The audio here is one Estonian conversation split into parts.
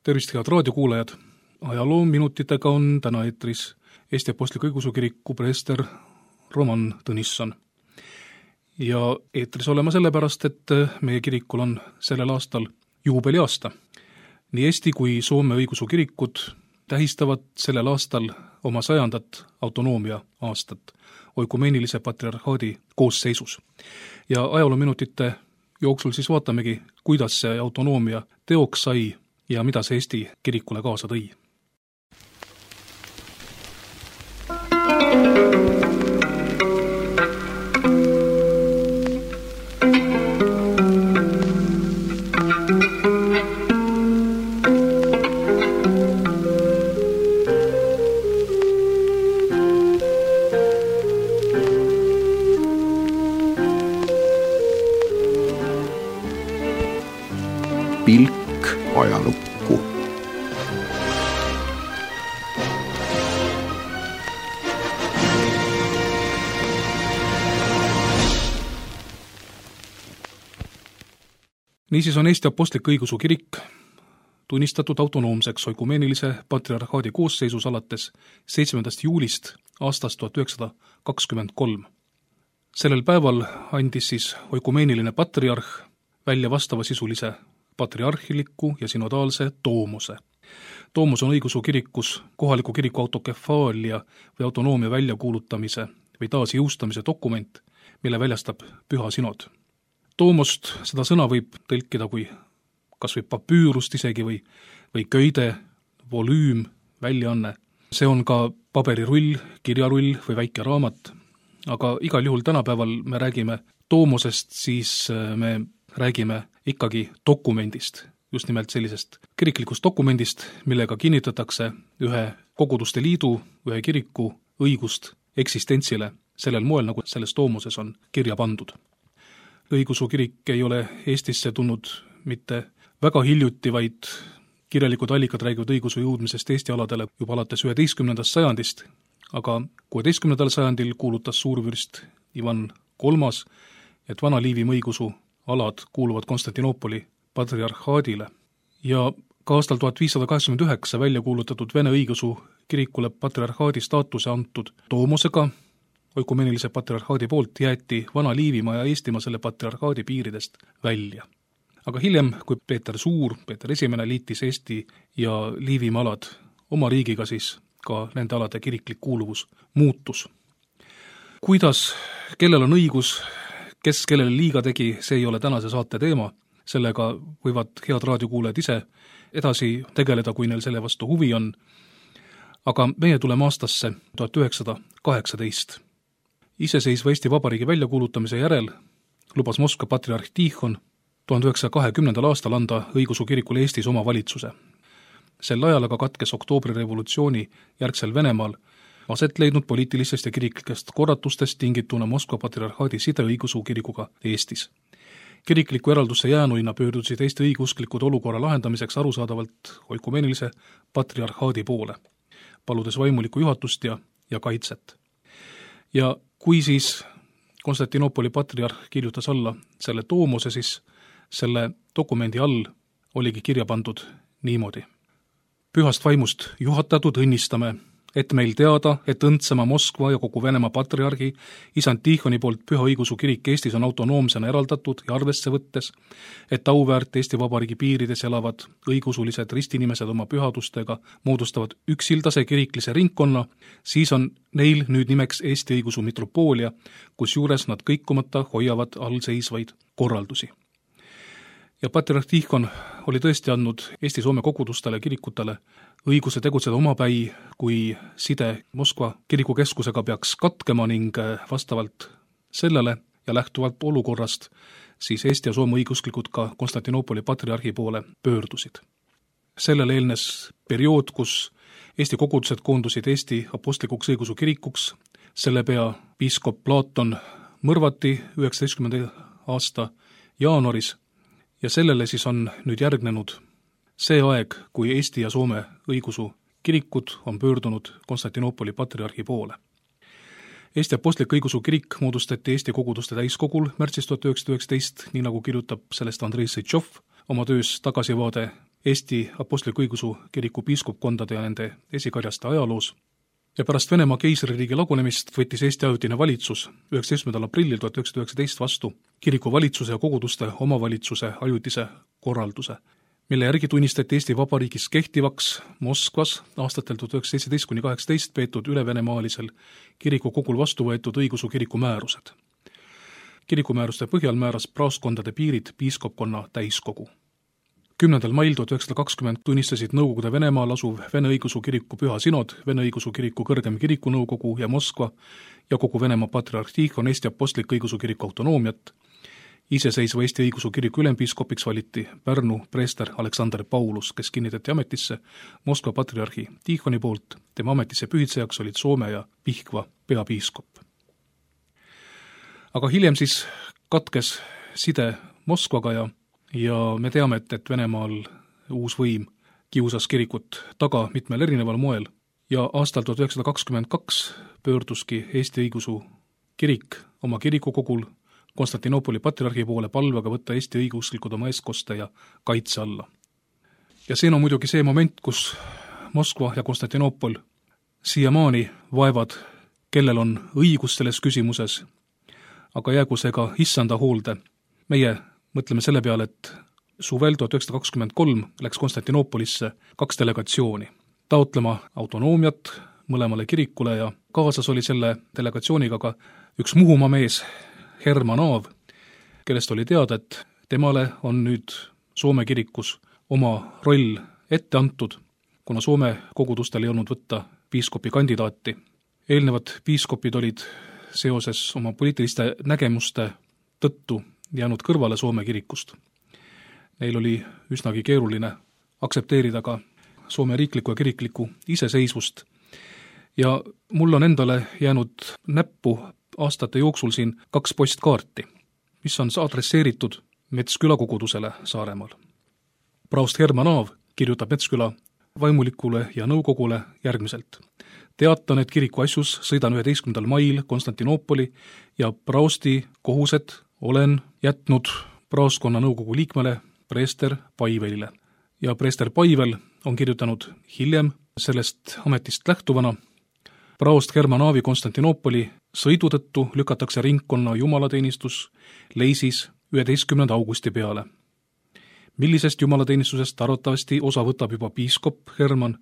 Tervist, head raadiokuulajad! Ajaloominutitega on täna eetris Eesti Apostliku Õigeusu Kiriku preester Roman Tõnisson. Ja eetris olema sellepärast, et meie kirikul on sellel aastal juubeliaasta. Nii Eesti kui Soome õigeusu kirikud tähistavad sellel aastal oma 100. autonoomia aastat oikumeenilise patriarhaadi koosseisus. Ja ajaloominutite jooksul siis vaatamegi, kuidas see autonoomia teoks sai ja mida see Eesti kirikule kaasa tõi. Pilk ajalukku. Niisiis on Eesti Apostlik Õigeusu Kirik tunnistatud autonoomseks oikumeenilise patriarhaadi koosseisus alates 7. juulist aastast 1923. Sellel päeval andis siis oikumeeniline patriarh välja vastavasisulise patriarhiliku ja synodaalse toomuse. Toomus on õigeusu kirikus kohaliku kiriku autokefaalia või autonoomia väljakuulutamise või taasjõustamise dokument, mille väljastab püha synod. Toomost seda sõna võib tõlkida kui kas või papüürust isegi või köide, volüüm, väljaanne. See on ka paberirull, kirjarull või väike raamat, aga igal juhul tänapäeval me räägime toomosest, siis me räägime ikkagi dokumendist, just nimelt sellisest kiriklikust dokumendist, millega kinnitatakse ühe koguduste liidu, ühe kiriku õigust eksistentsile sellel moel, nagu selles toomoses on kirja pandud. Õigeusu kirik ei ole Eestisse tulnud mitte väga hiljuti, vaid kirjalikud allikad räägivad õigeusu jõudmisest Eesti aladele juba alates 11. sajandist, aga 16. sajandil kuulutas suurvürst Ivan III, et Vana-Liivimaa õigeusu alad kuuluvad Konstantinoopoli patriarhaadile ja ka aastal 1589 välja kuulutatud Vene õigeusu kirikule patriarhaadi staatuse antud toomosega oikumeenilise patriarhaadi poolt jäeti Vana-Liivimaa ja Eestimaa selle patriarhaadi piiridest välja. Aga hiljem, kui Peeter Suur, Peeter I liitis Eesti ja Liivimaa alad oma riigiga, siis ka nende alade kiriklik kuuluvus muutus. Kuidas, kellel on õigus, kes kellele liiga tegi, see ei ole tänase saate teema. Sellega võivad head raadiokuulajad ise edasi tegeleda, kui neil selle vastu huvi on. Aga meie tuleme aastasse 1918. Iseseisva Eesti Vabariigi väljakuulutamise järel lubas Moskva patriarh Tihon 1920. aastal anda õigeusu kirikule Eestis oma valitsuse. Sel ajal aga katkes oktoobrirevolutsiooni järgsel Venemaal aset leidnud poliitilistest ja kiriklikest korratustest tingituna Moskva patriarhaadi side õigeusu kirikuga Eestis. Kirikliku eraldusse jäänuina pöördusid Eesti õigeusklikud olukorra lahendamiseks arusaadavalt oikumeenilise patriarhaadi poole, paludes vaimulikku juhatust ja kaitset. Ja kui siis Konstantinoopoli patriarh kirjutas alla selle toomuse, siis selle dokumendi all oligi kirja pandud niimoodi. Pühast vaimust juhatatud õnnistame, et meil teada, et õndsema Moskva ja kogu Venemaa patriarhi isand Tihoni poolt püha õigeusu kirik Eestis on autonoomsena eraldatud ja arvesse võttes, et auväärt Eesti Vabariigi piirides elavad õigeusulised ristinimesed oma pühadustega moodustavad üksildase kiriklise ringkonna, siis on neil nüüd nimeks Eesti õigeusu mitropoolia, kus juures nad kõikumata hoiavad allseisvaid korraldusi. Ja patriarh Tihon oli tõesti andnud Eesti-Soome kogudustele ja kirikutele õiguse tegutseda omapäi, kui side Moskva kirikukeskusega peaks katkema ning vastavalt sellele ja lähtuvalt olukorrast siis Eesti ja Soome õigeusklikud ka Konstantinoopoli patriarhi poole pöördusid. Sellele eelnes periood, kus Eesti kogudused koondusid Eesti apostlikuks õigeusu kirikuks, selle pea piiskop Platon mõrvati 19. aasta jaanuaris ja sellele siis on nüüd järgnenud see aeg, kui Eesti ja Soome õigeusu kirikud on pöördunud Konstantinoopoli patriarhi poole. Eesti Apostlik Õigeusu Kirik moodustati Eesti koguduste täiskogul märtsis 1919, nii nagu kirjutab sellest Andrei Sõitšov oma töös Tagasivaade Eesti Apostliku Õigeusu Kiriku piiskopkondade ja nende esikarjaste ajaloos. Ja pärast Venemaa keisririigi lagunemist võttis Eesti ajutine valitsus 19. aprillil 1919 vastu kiriku valitsuse ja koguduste omavalitsuse ajutise korralduse, mille järgi tunnistati Eesti Vabariigis kehtivaks Moskvas aastatel 1917–18 peetud ülevenemaalisel kirikukogul vastu võetud õigeusu kiriku määrused. Kirikumääruste põhjal määras praostkondade piirid piiskopkonna täiskogu. 10. mail 1920 tunnistasid Nõukogude Venemaal asuv Vene õigeusu kiriku püha sinod, Vene õigeusu kiriku kõrgem kirikunõukogu ja Moskva ja kogu Venemaa patriarh Tihon Eesti Apostliku Õigeusu Kiriku autonoomiat. Iseseisva Eesti õigeusu kiriku ülempiiskopiks valiti Pärnu preester Aleksander Paulus, kes kinnitati ametisse Moskva patriarhi Tihoni poolt. Tema ametisse pühitsejaks olid Soome ja Pihkva peapiiskop. Aga hiljem siis katkes side Moskvaga ja me teame, et Venemaal uus võim kiusas kirikut taga mitmel erineval moel ja aastal 1922 pöörduski Eesti õigeusu kirik oma kirikukogul Konstantinoopoli patriarhi poole palvega võtta Eesti õigeusklikud oma eestkoste ja kaitse alla. Ja see on muidugi see moment, kus Moskva ja Konstantinoopol siiamaani vaevad, kellel on õigus selles küsimuses, aga jäägu see ka issanda hoolde. Meie mõtleme selle peale, et suvel 1923 läks Konstantinoopolisse 2 delegatsiooni taotlema autonoomiat mõlemale kirikule ja kaasas oli selle delegatsiooniga ka üks Muhumaa mees, Herman Aav, kellest oli teada, et temale on nüüd Soome kirikus oma roll ette antud, kuna Soome kogudustel ei olnud võtta piiskopi kandidaati. Eelnevad piiskopid olid seoses oma poliitiliste nägemuste tõttu jäänud kõrvale Soome kirikust. Neil oli üsnagi keeruline aksepteerida ka Soome riiklikku ja kiriklikku iseseisvust. Ja mul on endale jäänud näppu aastate jooksul siin 2 postkaarti, mis on adresseeritud Metsküla kogudusele Saaremaal. Praost Herman Aav kirjutab Metsküla vaimulikule ja nõukogule järgmiselt. Teatan, et kiriku asjus sõidan 11. mail Konstantinoopoli ja praosti kohused olen jätnud praostkonna nõukogu liikmele preester Paivelile. Ja preester Paivel on kirjutanud hiljem sellest ametist lähtuvana: praost Herman Aavi Konstantinoopoli sõidu tõttu lükatakse ringkonna jumalateenistus Leisis 11. augusti peale. Millisest jumalateenistusest arvatavasti osa võtab juba piiskop Herman,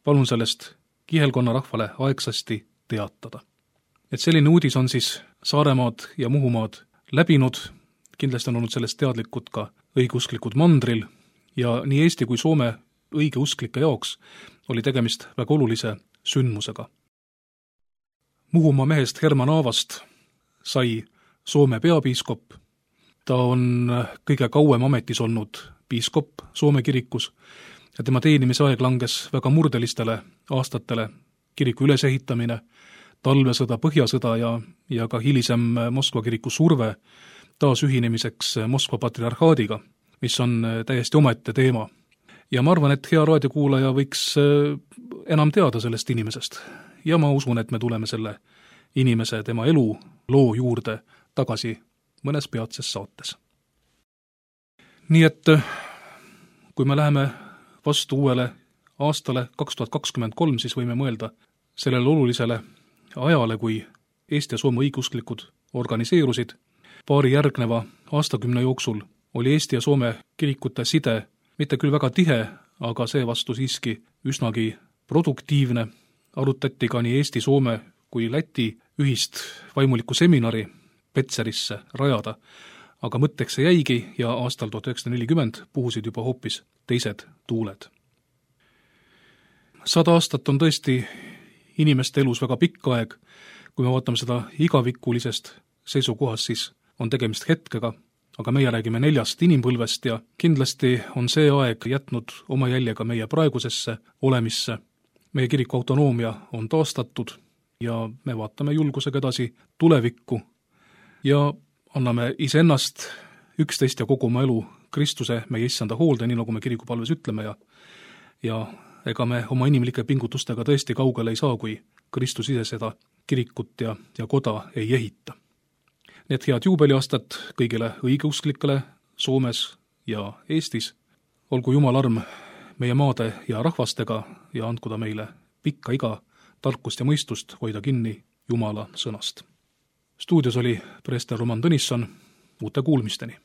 palun sellest kihelkonna rahvale aegsasti teatada. Et selline uudis on siis Saaremaad ja Muhumaad läbinud, kindlasti on olnud sellest teadlikud ka õigeusklikud mandril ja nii Eesti kui Soome õigeusklike jaoks oli tegemist väga olulise sündmusega. Muhumaa mehest Herman Aavast sai Soome peapiiskop. Ta on kõige kauem ametis olnud piiskop Soome kirikus ja tema teenimise aeg langes väga murdelistele aastatele: kiriku ülesehitamine, talvesõda, põhjasõda ja ka hilisem Moskva kiriku surve taasühinemiseks Moskva patriarhaadiga, mis on täiesti omaette teema. Ja ma arvan, et hea raadiokuulaja võiks enam teada sellest inimesest. Ja ma usun, et me tuleme selle inimese, tema elu, loo juurde tagasi mõnes peatses saates. Nii et kui me läheme vastu uuele aastale 2023, siis võime mõelda sellele olulisele ajale, kui Eesti ja Soome õigeusklikud organiseerusid. Paari järgneva aastakümne jooksul oli Eesti ja Soome kirikute side mitte küll väga tihe, aga seevastu siiski üsnagi produktiivne. Arutati ka nii Eesti, Soome kui Läti ühist vaimulikku seminari Petserisse rajada, aga mõtteks see jäigi ja aastal 1940 puhusid juba hoopis teised tuuled. 100 aastat on tõesti inimeste elus väga pikk aeg. Kui me vaatame seda igavikulisest seisukohast, siis on tegemist hetkega, aga meie räägime 4 inimpõlvest ja kindlasti on see aeg jätnud oma jälje ka meie praegusesse olemisse. Meie kiriku autonoomia on taastatud ja me vaatame julgusega edasi tulevikku ja anname iseennast, üksteist ja kogu oma elu Kristuse, meie issanda hoolde, nii nagu me kirikupalves ütleme ja ega me oma inimlike pingutustega tõesti kaugele ei saa, kui Kristus ise seda kirikut ja koda ei ehita. Nii et head juubeliaastat kõigile õigeusklikele Soomes ja Eestis. Olgu Jumal arm meie maade ja rahvastega ja andku ta meile pikka iga, tarkust ja mõistust hoida kinni Jumala sõnast. Stuudios oli preester Roman Tõnisson, uute kuulmisteni!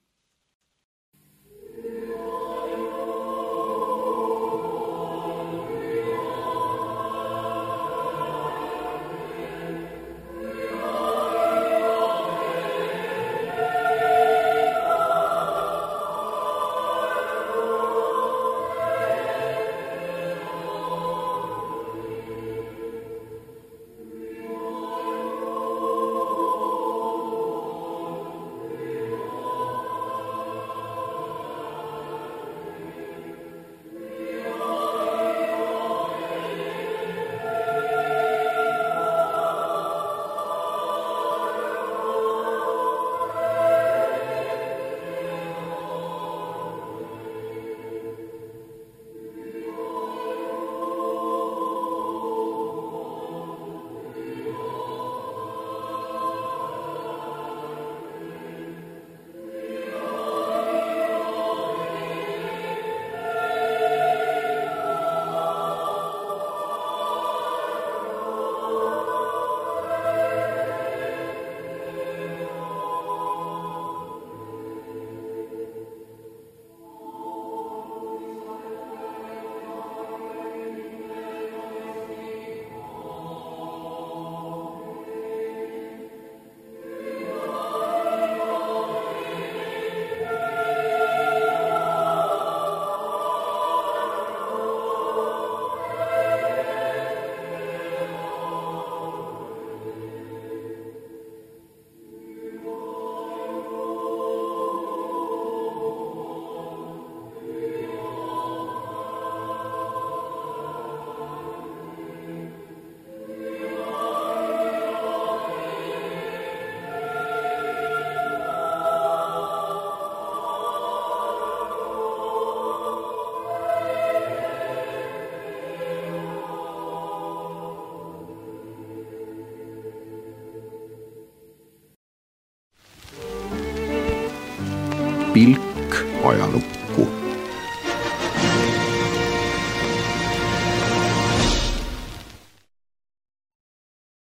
Pilk ajalukku.